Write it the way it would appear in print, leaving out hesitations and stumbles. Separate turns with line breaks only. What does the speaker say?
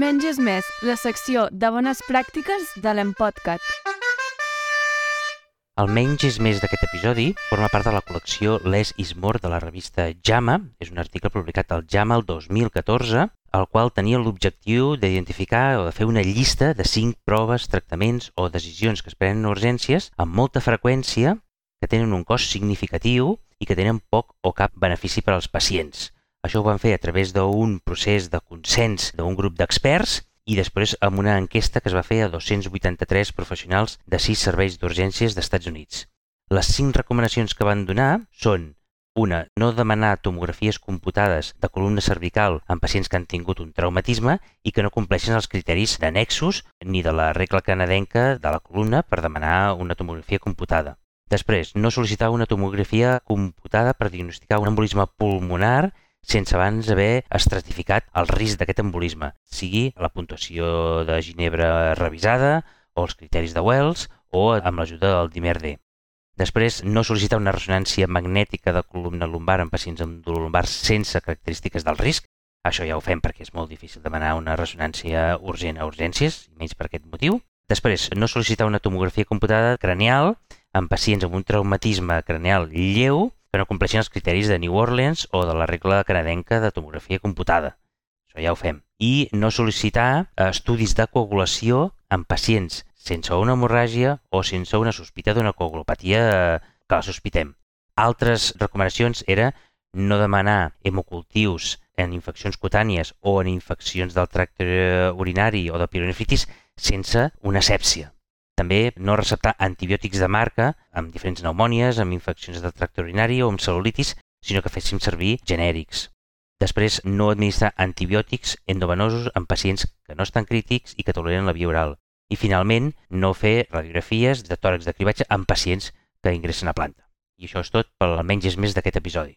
Menys és més, la secció de bones pràctiques de l'Empodcat.
El menys és més d'aquest episodi forma part de la col·lecció Less is More de la revista JAMA. És un article publicat al JAMA el 2014, el qual tenia l'objectiu d'identificar o de fer una llista de 5 proves, tractaments o decisions que es prenen en urgències amb molta freqüència, que tenen un cost significatiu i que tenen poc o cap benefici per als pacients. Això ho van fer a través d'un procés de consens d'un grup d'experts i després amb una enquesta que es va fer a 283 professionals de 6 serveis d'urgències d'Estats Units. Les 5 recomanacions que van donar són: una, no demanar tomografies computades de columna cervical en pacients que han tingut un traumatisme i que no compleixen els criteris d'annexos ni de la regla canadenca de la columna per demanar una tomografia computada. Després, no sol·licitar una tomografia computada per diagnosticar un embolisme pulmonar sense abans haver estratificat el risc d'aquest embolisme, sigui la puntuació de Ginebra revisada o els criteris de Wells o amb l'ajuda del dimer D. Després, no sol·licitar una ressonància magnètica de columna lumbar en pacients amb dolor lumbar sense característiques del risc. Això ja ho fem perquè és molt difícil demanar una ressonància urgent a urgències, menys per aquest motiu. Després, no sol·licitar una tomografia computada cranial en pacients amb un traumatisme cranial lleu que no compleixin els criteris de New Orleans o de la regla canadenca de tomografia computada. Això ja ho fem. I no sol·licitar estudis de coagulació en pacients sense una hemorràgia o sense una sospita d'una coagulopatia que la sospitem. Altres recomanacions era no demanar hemocultius en infeccions cutànies o en infeccions del tracte urinari o de pielonefritis sense una asèpsia. També no receptar antibiòtics de marca amb diferents pneumònies, amb infeccions del tracte urinari o amb cel·lulitis, sinó que féssim servir genèrics. Després, no administrar antibiòtics endovenosos en pacients que no estan crítics i que toleren la via oral. I finalment, no fer radiografies de tòrax de cribatge en pacients que ingressen a planta. I això és tot pel menys és més d'aquest episodi.